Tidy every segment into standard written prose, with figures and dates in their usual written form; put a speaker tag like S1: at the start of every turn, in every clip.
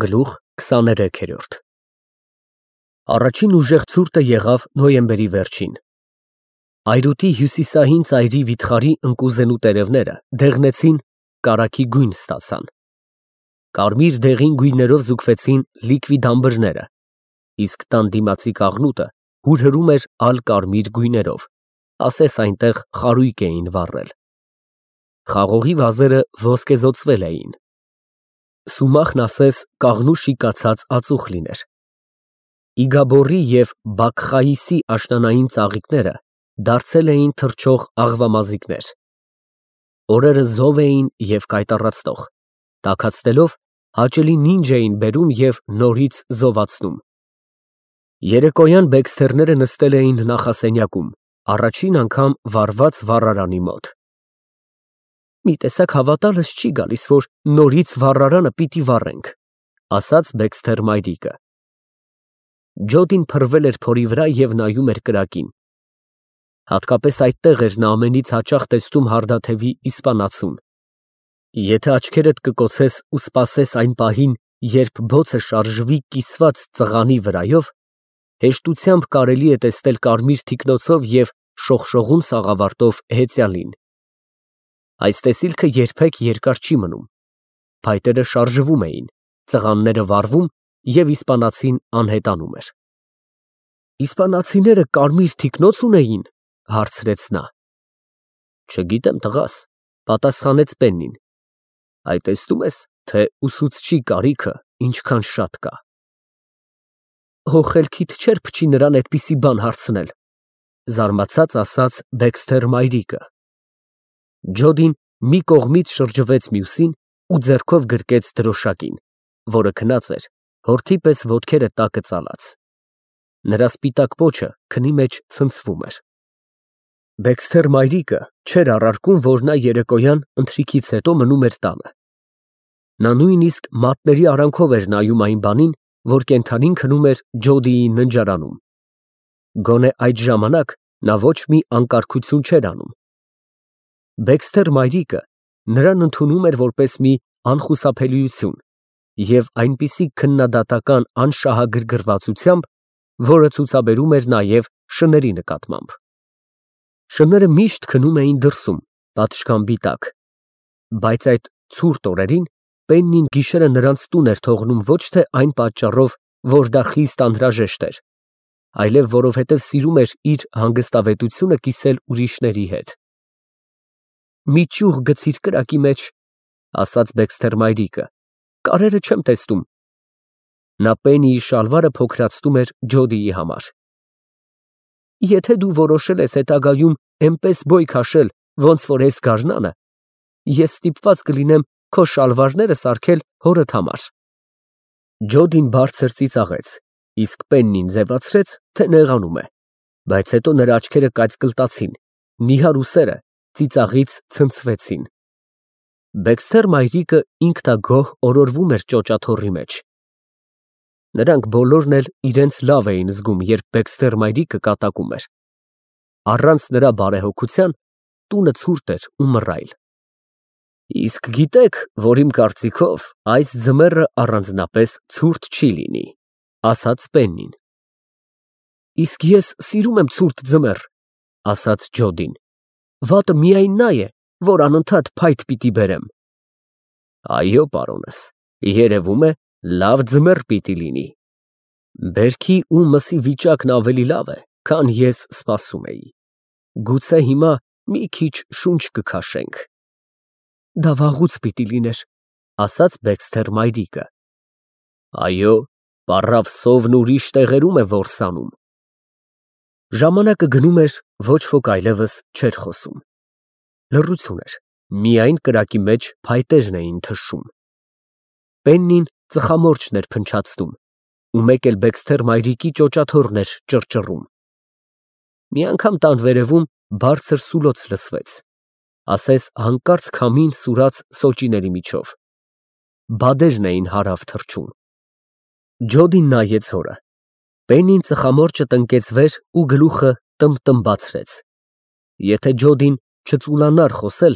S1: Գլուխ 23 Առաջին ուժեղ ցուրտը եղավ նոյեմբերի վերջին։ Այրուտի հյուսիսային ծայրի վիթխարի ընկուզենու տերևները դեղնեցին, կարագի գույն ստացան։ Կարմիր դեղին գույներով զուգվեցին լիկվիդ ամբրները, իսկ տան դիմացի կաղնուտը հուրհրում էր ալ֊կարմիր գույներով, ասես այնտեղ խարույկ էին վառել։ Խաղողի վազերը ոսկեզօծվել էին։ Սումախն ասես կաղնու շիկացած ածուխ լիներ։ Իգաբորի և Բաքխայիսի աշնանային ծաղիկները դարձել էին թռչող աղվամազիկներ։ Օրերը զով էին և կայտառացնող, տաքացնելով հաճելի նինջ էին բերում և նորից զովացնում։ Երեկոյան բեքսթերները նստել էին նախասենյակում, առաջին անգամ վառված վառարանի մոտ։ «Մի տեսակ հավատալս չի գալիս, որ նորից վառարանը պիտի վառենք», ասաց Բեքսթեր մայրիկը։ Ջոդին փռվել էր փորի վրա և նայում էր կրակին։ Հատկապես այդտեղ էր նա ամենից հաճախ տեսնում հարդաթևի իսպանացուն։ Եթե աչքերդ կկոցես ու սպասես այն պահին, երբ բոցը շարժվի կիսված ծղանի վրայով, հեշտությամբ կարելի է տեսնել կարմիր թիկնոցով և շողշողուն սաղավարտով հեծյալին։ Այս տեսիլքը երբեք երկար չի մնում։ Փայտերը շարժվում էին, ծղանները վառվում և իսպանացին անհետանում էր։ «Իսպանացիները կարմիր թիկնոց ունեին», հարցրեց նա։ «Չգիտեմ, տղաս», պատասխանեց Պեննին։ «Այ տեսնում ես, թե ուսուցչի կարիքը ինչքան շատ կա»։ «Հո խելքիդ չէր փչի նրան այդպիսի բան հարցնել», զարմացած ասաց Բեքսթեր մայրիկը։ Ջոդին մի կողմից շրջվեց մյուսին ու ձեռքով գրկեց դրոշակին, որը քնած էր, հորթի պես ոտքերը տակը ծալած։ Նրա սպիտակ պոչը քնի մեջ ցնցվում էր։ Բեքսթեր մայրիկը չէր առարկում, որ նա երեկոյան ընթրիքից հետո մնում էր տանը։ Նա նույնիսկ մատների արանքով էր նայում այն բանին, որ կենդանին քնում էր Ջոդիի ննջարանում։ Գոնե այդ ժամանակ նա ոչ մի անկարգություն չէր անում։ Բեքսթեր մայրիկը նրան ընդունում էր որպես մի անխուսափելիություն և այնպիսի քննադատական անշահագրգռվածությամբ, որը ցուցաբերում էր նաև շների նկատմամբ։ Շները միշտ քնում էին դրսում, պատշգամբի տակ, բայց այդ ցուրտ օրերին Պեննին գիշերը նրանց տուն էր թողնում ոչ թե այն պատճառով, որ դա խիստ անհրաժեշտ էր, այլև որովհետև սիրում էր իր հանգստավետությունը կիսել ուրիշների հետ։ «Մի ճյուղ գցիր կրակի մեջ», ասաց Բեքսթեր մայրիկը, «կարերը չեմ տեսնում»։ Նա Պեննիի շալվարը փոքրացնում էր Ջոդիի համար։ «Եթե դու որոշել ես հետագայում էնպես բոյ քաշել, ոնց որ էս գարնանը, ես ստիպված կլինեմ քո շալվարները սարքել հորդ համար»։ Ջոդին բարձր ծիծաղեց, իսկ Պեննին ձևացրեց, թե նեղանում է, բայց հետո նրա աչքերը կայծկլտացին, նիհար ուսերը ծիծաղից ցնցվեցին։ Բեքսթեր մայրիկը ինքնագոհ օրորվում էր ճոճաթոռի մեջ։ Նրանք բոլորն էլ իրենց լավ էին զգում, երբ Բեքսթեր մայրիկը կատակում էր։ Առանց նրա բարեհոգության տունը ցուրտ էր ու մռայլ։ «Իսկ գիտեք, որ իմ կարծիքով այս ձմեռը առանձնապես ցուրտ չի լինի», ասաց Պեննին։ «Իսկ ես սիրում եմ ցուրտ ձմեռ», ասաց Ջոդին։ «Վատը միայն նա է, որ անընդհատ փայտ պիտի բերեմ»։ «Այո, պարոնս, երևում է, լավ ձմեռ պիտի լինի։ Բերքի ու մսի վիճակն ավելի լավ է, քան ես սպասում էի։ Գուցե հիմա մի քիչ շունչ կքաշենք»։ «Դա վաղուց պիտի լիներ», ասաց Բեքսթեր մայրիկը։ «Այո, պառավ սովն ուրիշ տեղերում է որսանում»։ Ժամանակը գնում էր, ոչ ոք այլևս չէր խոսում։ Լռություն էր, միայն կրակի մեջ փայտերն էին թշում։ Պեննին ծխամորճն էր փնչացնում, ու մեկ էլ Բեքսթեր մայրիկի ճոճաթոռն էր ճռճռում։ Մի անգամ տան վերևում բարձր սուլոց լսվեց, ասես հանկարծ քամին սուրաց սոճիների միջով։ Բադերն էին հարավ թռչում։ Ջոդին նայեց հորը։ Պեննին ծխամորճը տնկեց վեր ու գլուխը տմբացրեց։ Եթե Ջոդին չծուլանար խոսել,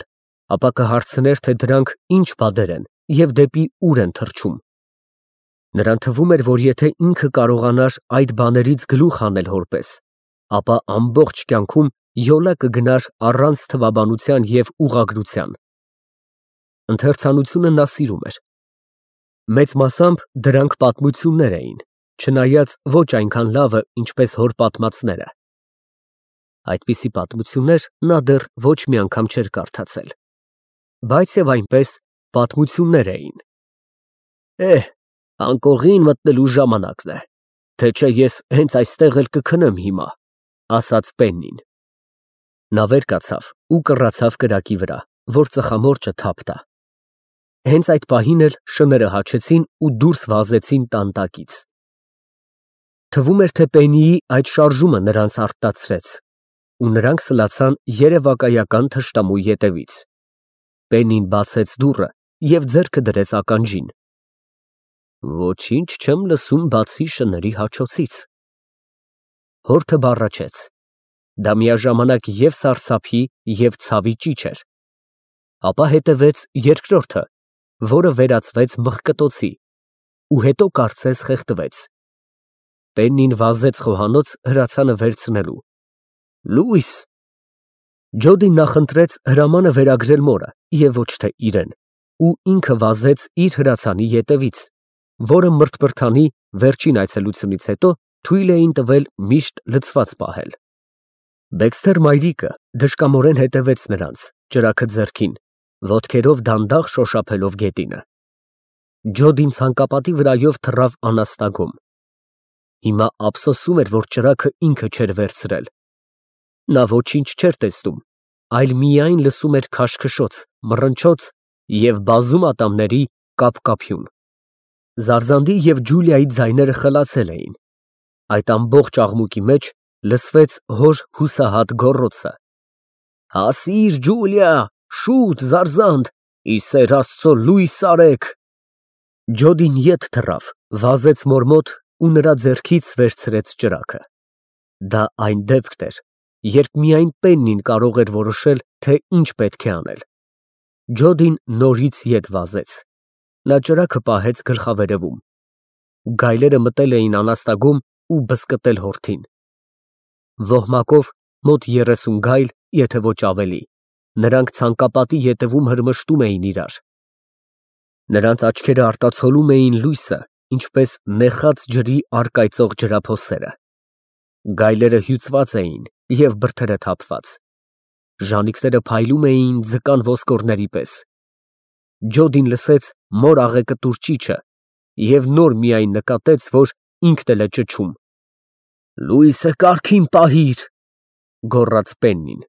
S1: ապա կհարցներ, թե դրանք ինչ բադեր են և դեպի ուր են թռչում։ Նրան թվում էր, որ եթե ինքը կարողանար այդ բաներից գլուխ հանել հորպես, ապա ամբողջ կյանքում յոլա կգնար առանց թվաբանության և ուղղագրության։ Ընթերցանությունը նա սիրում էր։ Մեծ մասամբ դրանք պատմություններ էին, չնայած ոչ այնքան լավը, ինչպես հոր պատմածները։ Այդպիսի պատմություններ նա դեռ ոչ մի անգամ չէր կարդացել, բայց և այնպես պատմություններ էին։ Անկողին մտնելու ժամանակն է, թե չէ ես հենց այստեղ էլ կքնեմ հիմա, ասաց Պեննին։ Նա վեր կացավ ու կռացավ կրակի վրա, որ ծխամորճը թափ տա։ Հենց այդ պահին էլ շները հաչեցին ու դուրս վազեցին տան տակից։ Թվում էր, թե Պեննիի այդ շարժումը նրանց արթնացրեց, ու նրանք սլացան երևակայական թշնամու ետևից։ Պեննին բացեց դուռը և ձեռքը դրեց ականջին։ Ոչինչ չեմ լսում բացի շների հաչոցից։ Հորթը բառաչեց։ Դա միաժամանակ և սարսափի, և ցավի ճիչ էր։ Ապա հետևեց երկրորդը, որը վերածվեց մղկտոցի, ու հետո կարծես խեղդվեց։ Պեննին վազեց խոհանոց հրացանը վերցնելու։ Լույս։ Ջոդին նախընտրեց հրամանը վերագրել մորը և ոչ թե իրեն, ու ինքը վազեց իր հրացանի ետևից, որը մրթմրթանի վերջին այցելությունից հետո թույլ էին տվել միշտ լցված պահել։ Դեքսթեր մայրիկը դժկամորեն հետևեց նրանց, ճրագը ձեռքին, ոտքերով դանդաղ շոշափելով գետինը։ Ջոդին ցանկապատի վրայով թռավ անաստագում։ Հիմա ափսոսում էր, որ ճրագը ինքը չէր վերցրել։ Նա ոչինչ չէր տեսնում, այլ միայն լսում էր քաշքշոց, մռնչոց և բազում ատամների կափկափյուն։ Զարզանդի և Ջուլիայի ձայները խլացել էին։ Այդ ամբողջ աղմուկի մեջ լսվեց հոր հուսահատ գոռոցը. Հասիր, Ջուլիա, շուտ, Զարզանդ, ի սեր Աստծո լույս արեք։ Ջոդին ետ թռավ, վազեց մոր մոտ ու նրա ձեռքից վերցրեց ճրագը։ Դա այն դեպքն էր, երբ միայն Պեննին կարող էր որոշել, թե ինչ պետք է անել։ Ջոդին նորից ետ վազեց։ Նա ճրագը պահեց գլխավերևում։ Գայլերը մտել էին անաստագում ու բզկտել հորթին։ Ոհմակով մոտ 30 գայլ, եթե ոչ ավելի, նրանք ցանկապատի ետևում հրմշտում էին իրար։ Նրանց աչքերը արտացոլում էին լույսը, ինչպես նեխած ջրի առկայծող ջրափոսերը։ Գայլերը հյուծված էին և բրդերը թափված։ Ժանիքները փայլում էին ձկան ոսկորների պես։ Ջոդին լսեց մոր աղեկտուր ճիչը և նոր միայն նկատեց, որ ինքն էլ է ճչում։ Լույսը կարգին պահիր, գոռաց Պեննին։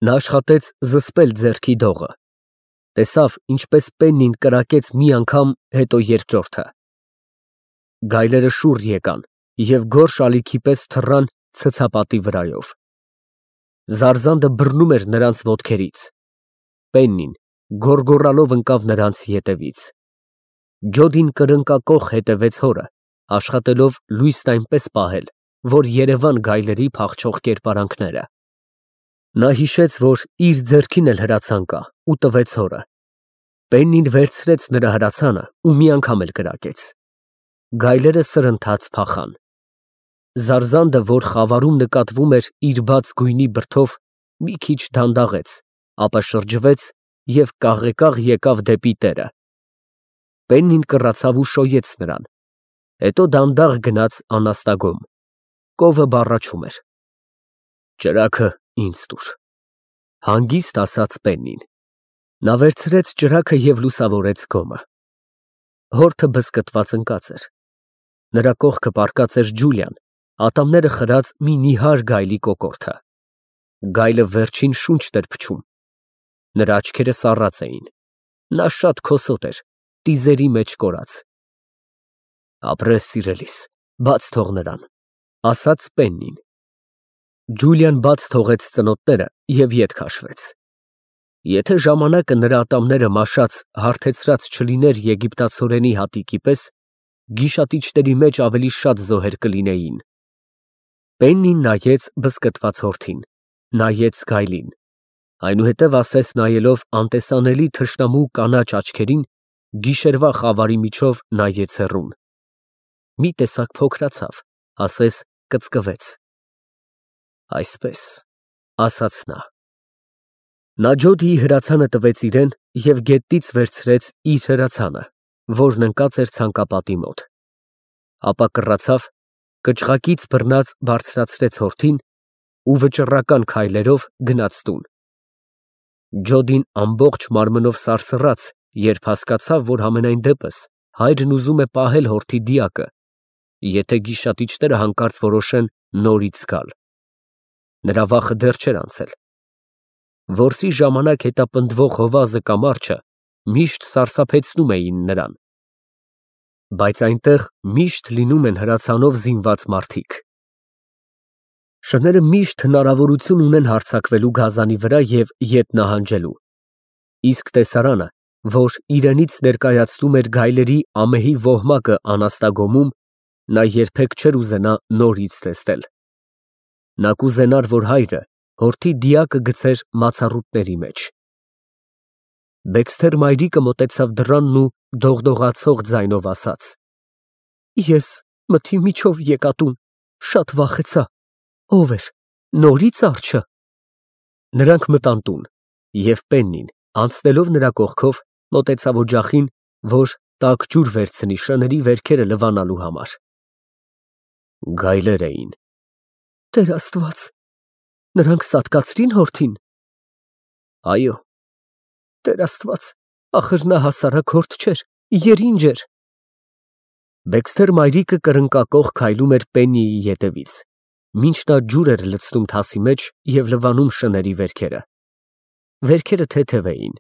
S1: Նա աշխատեց զսպել ձեռքի դողը։ Տեսավ, ինչպես Պեննին կրակեց մի անգամ, հետո երկրորդը։ Գայլերը շուռ եկան և գորշ ալիքի պես թռան ցցապատի վրայով։ Զարզանդը բռնում էր նրանց ոտքերից։ Պեննին գոռգոռալով ընկավ նրանց ետևից։ Ջոդին կրկնակոխ հետևեց հորը, աշխատելով լույսն այնպես պահել, որ երևան գայլերի փախչող կերպարանքները։ Նա հիշեց, որ իր ձեռքին էլ հրացան կա, ու տվեց հորը։ Պեննին վերցրեց նրա հրացանը ու մի անգամ էլ կրակեց։ Գայլերը սրընթաց փախան։ Զարզանդը, որ խավարում նկատվում էր իր բաց գույնի բրդով, մի քիչ դանդաղեց, ապա շրջվեց և կաղեկաղ եկավ դեպի տերը։ Պեննին կռացավ ու շոյեց նրան, հետո դանդաղ գնաց անաստագում։ Կովը բառաչում էր։ Ճրագը ինձ տուր, հանգիստ ասաց Պեննին։ Նա վերցրեց ճրագը և լուսավորեց գոմը։ Հորթը բզկտված ընկած էր։ Նրա կողքը պառկած էր Ջուլիան, ատամները խրած մի նիհար գայլի կոկորդը։ Գայլը վերջին շունչն էր փչում։ Նրա աչքերը սառած էին։ Նա շատ քոսոտ էր, տիզերի մեջ կորած։ Ապրես, սիրելիս, բաց թող նրան, ասաց Պեննին։ Ջուլիան բաց թողեց ծնոտները և ետ քաշվեց։ Եթե ժամանակը նրա ատամները մաշած, հարթեցրած չլիներ եգիպտացորենի հատիկի պես, գիշատիչների մեջ ավելի շատ զոհեր կլինեին։ Պեննին նայեց բզկտված հորթին, նայեց գայլին, այնուհետև ասես նայելով անտեսանելի թշնամու կանաչ աչքերին, գիշերվա խավարի միջով նայեց հեռուն։ Մի տեսակ փոքրացավ, ասես կծկվեց։ Այսպես, ասաց նա։ Նա Ջոդիի հրացանը տվեց իրեն և գետնից վերցրեց իր հրացանը, որն ընկած էր ցանկապատի մոտ։ Ապա կռացավ, կճղակից բռնած բարձրացրեց հորթին ու վճռական քայլերով գնաց տուն։ Ջոդին ամբողջ մարմնով սարսռաց, երբ հասկացավ, որ համենայն դեպս հայրն ուզում է պահել հորթի դիակը, եթե գիշատիչները հանկարծ որոշեն նորից գալ։ Նրա վախը դեռ չէր անցել։ Որսի ժամանակ հետապնդվող հովազը կամ արջը միշտ սարսափեցնում էին նրան։ Բայց այնտեղ միշտ լինում են հրացանով զինված մարդիկ։ Շները միշտ հնարավորություն ունեն հարձակվելու գազանի վրա և ետ նահանջելու։ Իսկ տեսարանը, որ իրենից ներկայացնում էր գայլերի ամեհի ոհմակը անաստագոմում, նա երբեք չէր ուզենա նորից տեսնել։ Նա կուզենար, որ հայրը հորթի դիակը գցեր մացառուտների մեջ։ Բեքսթեր մայրիկը մոտեցավ դռանն ու դողդողացող ձայնով ասաց. Ես մթի միջով եկա տուն, շատ վախեցա, ո՞վ էր, նորից արջը։ Նրանք մտան տուն, և Պեննին, անցնելով նրա կողքով, մոտեցավ օջախին, որ տաք ջուր վերցնի շների վերքերը լվանալու համար։ Գայլեր էին։ Տեր Աստված, նրանք սատկացրին հորթին։ Այո։ Տեր Աստված, ախր նա հասարակ հորթ չէր, երինջ էր։ Բեքսթեր մայրիկը կրնկակոխ քայլում էր Պեննիի ետևից, մինչ նա ջուր էր լցնում թասի մեջ և լվանում շների վերքերը։ Վերքերը թեթև էին։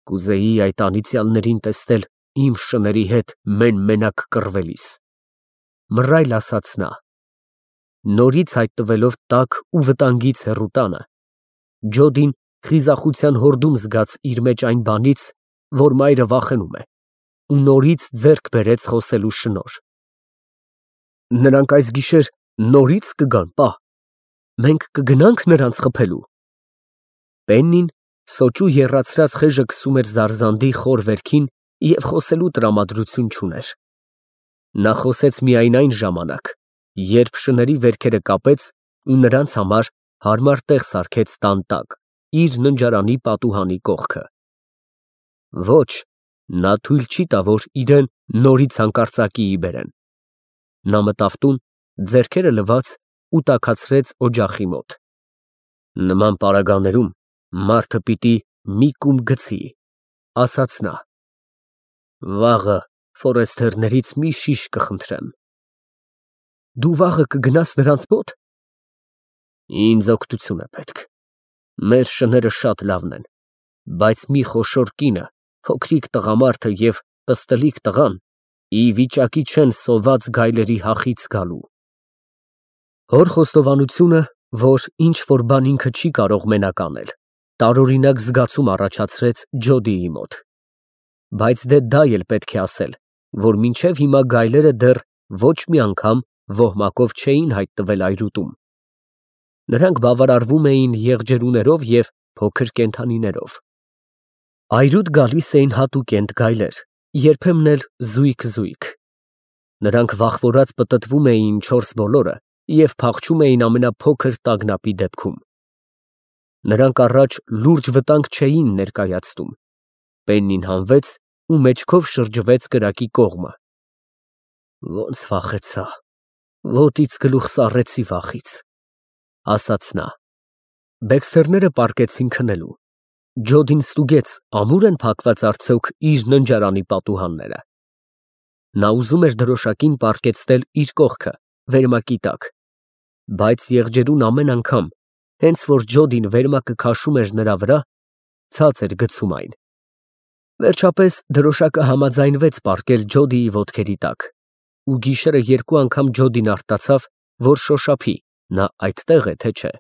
S1: Կուզեի այդ անիծյալներին տեսնել իմ շների հետ մեն֊մենակ կռվելիս, մռայլ ասաց նա։ Նորից հայտնվելով տաք ու վտանգից հեռու տանը, Ջոդին խիզախության հորդում զգաց իր մեջ այն բանից, որ մայրը վախենում է, ու նորից ձեռք բերեց խոսելու շնորհ։ Նրանք այս գիշեր նորից կգան, պա, մենք կգնանք նրանց խփելու։ Պեննին սոճու եռացրած խեժը քսում էր զարզանդի խոր վերքին և խոսելու տրամադրություն չուներ։ Նա խոսեց միայն այն ժամանակ, երբ շների վերքերը կապեց ու նրանց համար հարմար տեղ սարքեց տան տակ, իր ննջարանի պատուհանի կողքը։ Ոչ, նա թույլ չի տա, որ իրեն նորից հանկարծակիի բերեն։ Նա մտավ տուն, ձեռքերը լվաց ու տաքացրեց օջախի մոտ։ Նման պարագաներում մարդը պիտի մի կում գցի, ասաց նա։ Վաղը ֆորեստերներից մի շիշ կխնդրեմ։ Դու վաղը կգնաս նրանց մոտ։ Ինձ օգնություն է պետք։ Մեր շները շատ լավն են, բայց մի խոշոր կինը, փոքրիկ տղամարդը և պստլիկ տղան ի վիճակի չեն սոված գայլերի հախից գալու։ Հոր խոստովանությունը, որ ինչ֊որ բան ինքը չի կարող մենակ անել, տարօրինակ զգացում առաջացրեց Ջոդիի մոտ։ Բայց դե դա էլ պետք է ասել, որ մինչև հիմա գայլերը դեռ ոչ մի անգամ ոհմակով չէին հայտնվել այրուտում։ Նրանք բավարարվում էին եղջերուներով և փոքր կենդանիներով։ Այրուտ գալիս էին հատուկենտ գայլեր, երբեմն էլ զույգ։ Նրանք վախվորած պտտվում էին չորս բոլորը և փախչում էին ամենափոքր տագնապի դեպքում։ Նրանք առաջ լուրջ վտանգ չէին ներկայացնում։ Պեննին հանվեց ու մեջքով շրջվեց կրակի կողմը։ Ոնց վախեցա, ոտից գլուխ սառեցի վախից, ասաց նա։ Բեքսթերները պառկեցին քնելու։ Ջոդին ստուգեց, ամուր են փակված արդյոք իր ննջարանի պատուհանները։ Նա ուզում էր դրոշակին պառկեցնել իր կողքը, վերմակի տակ, բայց եղջերուն ամեն անգամ, հենց որ Ջոդին վերմակը քաշում էր նրա վրա, ցած էր գցում այն։ Վերջապես դրոշակը համաձայնվեց պառկել Ջոդիի ոտքերի տակ, ու գիշերը երկու անգամ Ջոդին արտացավ, որ շոշափի, նա այդտեղ է, թե չէ։